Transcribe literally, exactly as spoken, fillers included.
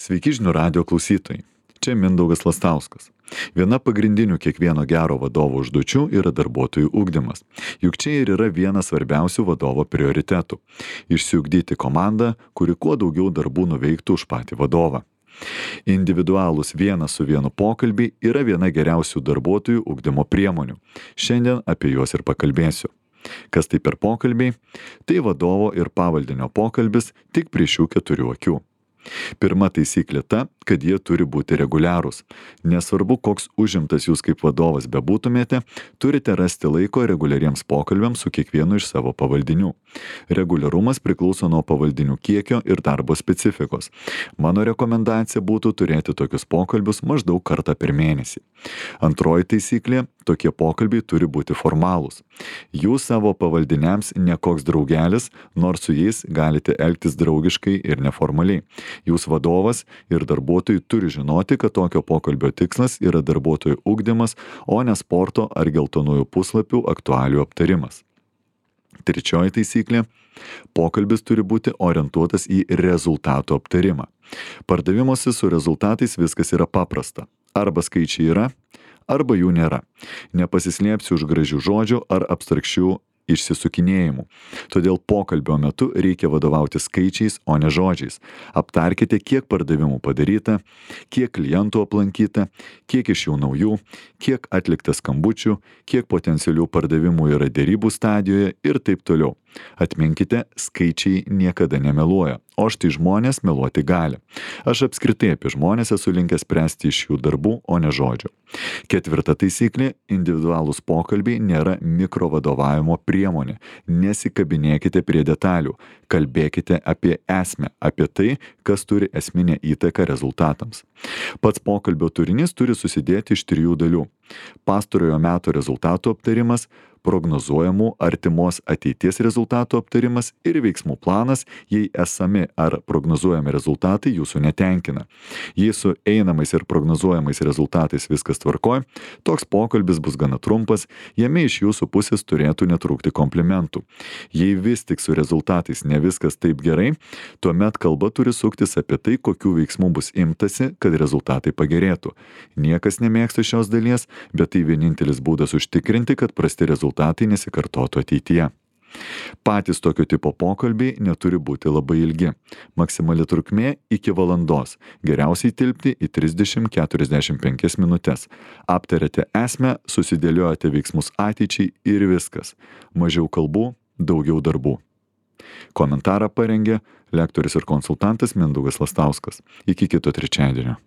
Sveiki žinių radio klausytojai. Čia Mindaugas Lastauskas. Viena pagrindinių kiekvieno gero vadovo užduočių yra darbuotojų ugdymas. Juk čia ir yra vienas svarbiausių vadovo prioritetų - išsiugdyti komandą, kuri kuo daugiau darbų nuveiktų už patį vadovą. Individualūs vienas su vienu pokalbiai yra viena geriausių darbuotojų ugdymo priemonių. Šiandien apie juos ir pakalbėsiu. Kas tai per pokalbiai? Tai vadovo ir pavaldinio pokalbis tik prie šių keturių akių. Pirma taisyklė ta, kad jie turi būti reguliarūs. Nesvarbu, koks užimtas jūs kaip vadovas bebūtumėte, turite rasti laiko reguliariems pokalbiams su kiekvienu iš savo pavaldinių. Reguliarumas priklauso nuo pavaldinių kiekio ir darbo specifikos. Mano rekomendacija būtų turėti tokius pokalbius maždaug kartą per mėnesį. Antroji taisyklė - tokie pokalbiai turi būti formalūs. Jūs savo pavaldiniams ne koks draugelis, nors su jais galite elgtis draugiškai ir neformaliai. Jūs vadovas ir darbuotojai turi žinoti, kad tokio pokalbio tikslas yra darbuotojų ugdymas, o ne sporto ar geltonųjų puslapių aktualijų aptarimas. Trečioji taisyklė - pokalbis turi būti orientuotas į rezultatų aptarimą. Pardavimuose su rezultatais viskas yra paprasta. Arba skaičiai yra, arba jų nėra. Nepasislėpsi už gražių žodžių ar abstrakčių išsisukinėjimų. Todėl pokalbio metu reikia vadovauti skaičiais, o ne žodžiais. Aptarkite, kiek pardavimų padaryta, kiek klientų aplankyta, kiek iš jų naujų, kiek atlikta skambučių, kiek potencialių pardavimų yra derybų stadijoje ir taip toliau. Atminkite, skaičiai niekada nemeluoja, o štai žmonės meluoti gali. Aš apskritai apie žmonės esu linkęs spręsti iš jų darbų, o ne žodžių. Ketvirta taisyklė - individualūs pokalbiai nėra mikrovadovavimo priemonė. Nesikabinėkite prie detalių, kalbėkite apie esmę, apie tai, kas turi esminę įtaką rezultatams. Pats pokalbio turinys turi susidėti iš trijų dalių. Pastarojo meto rezultatų aptarimas, prognozuojamų artimos ateities rezultatų aptarimas ir veiksmų planas, jei esami ar prognozuojami rezultatai jūsų netenkina. Jei su einamais ir prognozuojamais rezultatais viskas tvarkoj, toks pokalbis bus gana trumpas, jame iš jūsų pusės turėtų netrūkti komplimentų. Jei vis tik su rezultatais ne viskas taip gerai, tuomet kalba turi suktis apie tai, kokių veiksmų bus imtasi, kad rezultatai pagerėtų. Niekas nemėgsta šios dalies, bet tai vienintelis būdas užtikrinti, kad prasti rezultatai nesikartotų ateityje. Patys tokio tipo pokalbiai neturi būti labai ilgi. Maksimali trukmė iki valandos. Geriausiai tilpti į trisdešimt keturiasdešimt penkias minutės. Aptarėte esmę, susidėliojate veiksmus ateičiai ir viskas. Mažiau kalbų, daugiau darbų. Komentarą parengė lektorius ir konsultantas Mindaugas Lastauskas. Iki kito trečiadienio.